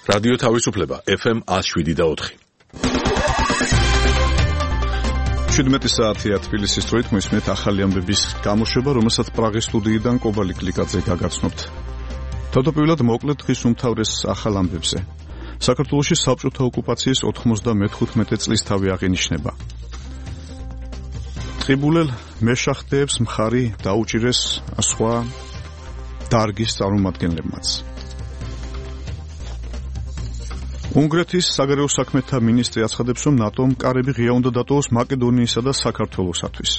რადიო თავისუფლება FM 107.4. 17 საათია თბილისის დროით მოისმენთ ახალი ამბების გამოშვება, რომელსაც პრაღის სტუდიიდან კობალი კლიკაძე გაგაცნობთ. თავდაპირველად მოკლედ დღის უმთავრეს ახალ ამბებზე. საქართველოში საბჭოთა ოკუპაციის 95 წლის თავი აღინიშნება. ტყიბულელ მეშახტეებს მხარი დაუჭირეს სხვა დარგის წარმომადგენლებმაც. უნგრეთის საგარეო საქმეთა მინისტრი აცხადებს, რომ ნატომ კარები ღია უნდა დატოვოს მაკედონიისა და საქართველოსათვის.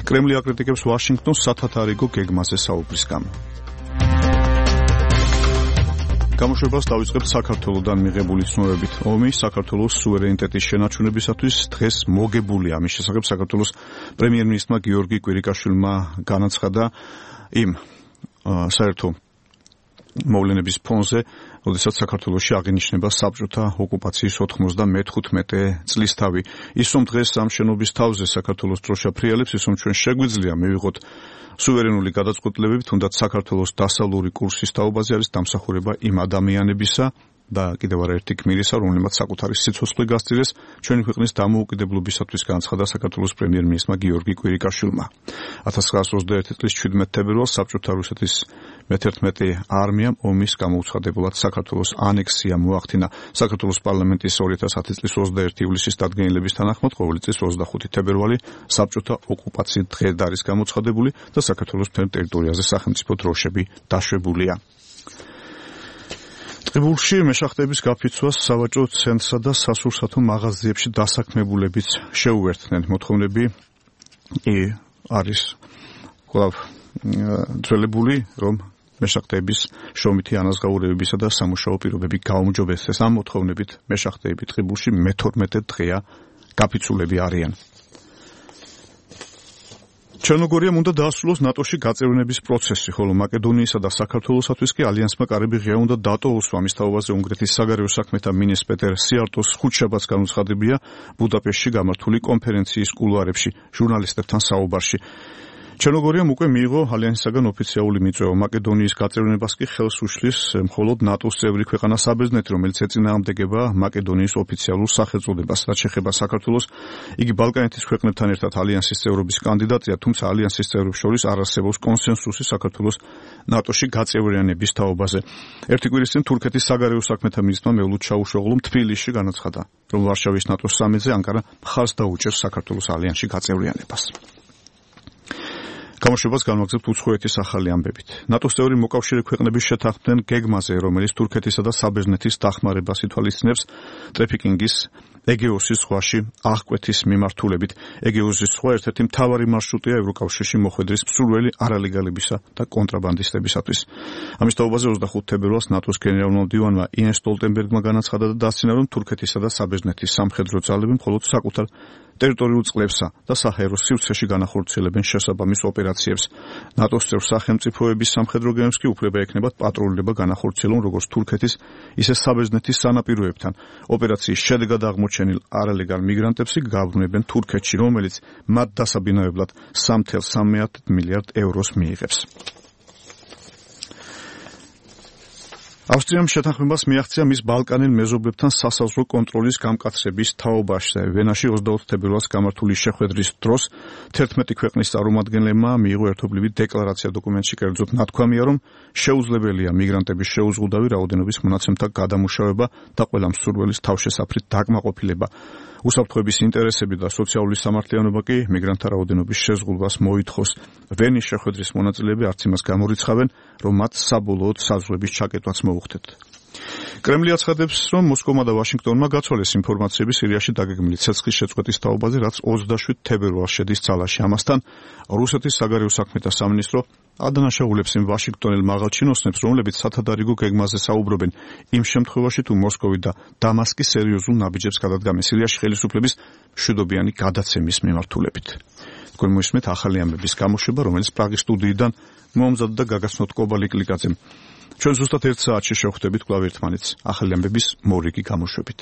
კრემლი აკრიტიკებს ვაშინგტონს სათათარიგო გეგმაზე საუბრის გამო. გამოშვებას დავიწყებთ საქართველოდან მიღებული ცნობებით. ომი საქართველოს სუვერენიტეტის შენარჩუნებისათვის დღეს მოგებულია. ამის შესახებ საქართველოს პრემიერ-მინისტრმა გიორგი კვირიკაშვილმა განაცხადა იმ საერთო მოვლენების ფონზე, როდესაც საქართველოში აღინიშნება საბჭოთა ოკუპაციის 95 წლის თავი. ის რომ დღეს ამ შენობის თავზე საქართველოს დროშა ფრიალებს, ის რომ ჩვენ შეგვიძლია მივიღოთ სუვერენული გადაწყვეტილებები, თუნდაც საქართველოს დასავლური კურსის თაობაზე არის დამსახურება იმ ადამიანებისა და კიდევ არაერთი გმირისა, რომლებმაც საკუთარი სიცოცხლე გასწირეს ჩვენი ქვეყნის დამოუკიდებლობისათვის, განაცხადა საქართველოს პრემიერ-მინისტრმა გიორგი კვირიკაშვილმა. 1921 წლის 17 თებერვალს საბჭოთა რუსეთის მე-11 არმიამ ომის გამოუცხადებულად საქართველოს ანექსია მოახდინა. საქართველოს პარლამენტის 2010 წლის 21 ივლისის დადგენილების თანახმად ყოველი წლის 25 თებერვალი საბჭოთა ოკუპაციის დღედ არის გამოცხადებული და საქართველოს მთელ ტერიტორიაზე სახელმწიფო დროშები დაშვებულია. ტყიბულში მეშახტეების გაფიცვას სავაჭრო ცენტრსა და სასურსათო მაღაზიებში დასაქმებულებიც შეუერთდნენ. მოთხოვნები არის კვლავ ძველებული, რომ მეშახტეების შრომითი ანაზღაურებებისა და სამუშაო პირობები გაუმჯობესდეს. ამ მოთხოვნებით მეშახტეები ტყიბულში მე-12 დღეა გაფიცულები არიან. ჩერნოგორიამ უნდა დაასრულოს ნატოში გაწევრიანების პროცესი, ხოლო მაკედონიისა და საქართველოსათვის კი ალიანსმა კარები ღია უნდა დატოვოს. ამის თაობაზე უნგრეთის საგარეო საქმეთა მინისტრ პეტერ სიარტოს ხუთშაბათს განუცხადებია ბუდაპეშტში გამართული კონფერენციის კულუარებში ჟურნალისტებთან საუბარში. ჩერნოგორიამ უკვე მიიღო ალიანსისაგან ოფიციალური მიწვევა. მაკედონიის გაწევრიანებას კი ხელს უშლის მხოლოდ ნატოს წევრი ქვეყანა საბერძნეთი, რომელიც ეწინააღმდეგება მაკედონიის ოფიციალურ სახელწოდებას. რაც შეეხება საქართველოს, იგი ბალკანეთის ქვეყნებთან ერთად ალიანსის წევრობის კანდიდატია, თუმცა ალიანსის წევრებს შორის არ არსებობს კონსენსუსი საქართველოს ნატოში გაწევრიანების თაობაზე. ერთი კვირის წინ თურქეთის საგარეო საქმეთა მინისტრმა მევლუდ ჩაუშოღლომ თბილისში განაცხადა, რომ ვარშავის ნატოს სამიტზე ანკარა მხარს დაუჭერს საქართველოს ალიანსში გაწევრიანებას. გამოშვებას განვაგრძებთ უცხოეთის ახალი ამბებით. ნატოს წევრი მოკავშირე ქვეყნების შეთანხმდნენ გეგმაზე, რომელიც თურქეთისა და საბერძნეთის დახმარებას ითვალისწინებს ტრაფიკინგის ეგეოსის ზღვაში აღკვეთის მიმართულებით. ეგეოსის ზღვა ერთ-ერთი მთავარი მარშრუტია ევროკავშირში მოხვედრის მსურველი არალეგალებისა და კონტრაბანდისტებისათვის. ამის თაობაზე 25 თებერვალს ნატოს გენერალურმა მდივანმა იენს სტოლტენბერგმა განაცხადა და დასცინა, რომ თურქეთისა და საბერძნეთის სამხედრო ძალები მხოლოდ საკუთარ ტერიტორიულ წყლებსა და საჰაერო სივრცეში განახორციელებენ შესაბამის ოპერაციებს. ნატოს წევრ სახელმწიფოების სამხედრო გემებს კი უფლება ექნებათ პატრულირება განახორციელონ როგორც თურქეთის, ისე საბერძნეთის სანაპიროებთან. ოპერაციის შედეგად აღმოჩენილ არალეგალ მიგრანტებს გააბრუნებენ თურქეთში, რომელიც მათ დასაბინავებლად 3,3 მილიარდ ევროს მიიღებს. ავსტრიამ შეთანხმებას მიაღწია მის ბალკანელ მეზობლებთან სასაზღვრო კონტროლის გამკაცრების თაობაში. ვენაში 24 თებერვალს გამართული შეხვედრის დროს 11 ქვეყნის წარმომადგენლებმა მიიღო ერთობლივი დეკლარაცია. დოკუმენტში კერძოდ ნათქვამია, რომ შეუძლებელია მიგრანტების შეუზღუდავი რაოდენობის მონაცემთა გადამუშავება და ყველა მსურველის თავშესაფრით დაკმაყოფილება. უსაფრთხოების ინტერესები და სოციალური სამართლიანობა კი მიგრანტთა რაოდენობის შეზღუდვას მოითხოვს. ვენის შეხვედრის მონაწილეები არც იმას გამორიცხავენ, რომ მათ საბოლოოდ საზღვრების ჩაკეტვაც მოუხდეთ. კრემლი აცხადებს, რომ მოსკოვმა და ვაშინგტონმა გაცვალეს ინფორმაციები სირიაში დაგეგმილი ცეცხლის შეწყვეტის თაობაზე, რაც 27 თებერვალს შედის ძალაში. ამასთან რუსეთის საგარეო საქმეთა სამინისტრო ადანაშაულებს იმ ვაშინგტონელ მაღალჩინოსნებს, რომლებიც სათადარიგო გეგმაზე საუბრობენ, იმ შემთხვევაში თუ მოსკოვი და დამასკი სერიოზულ ნაბიჯებს გადადგამენ სირიაში ხელისუფლების მშვიდობიანი გადაცემის მიმართულებით. თქვენ მოისმენთ ახალი ამბების გამოშვება, რომელიც პრაღის სტუდიიდან მომზადდა და გაგაცნობთ კობალი კლიკაძემ. ჩვენ ზუსტად 1 საათში შევხვდებით კვლავ ერთმანეთს ახალი ამბების მორიგი გამოშვებით.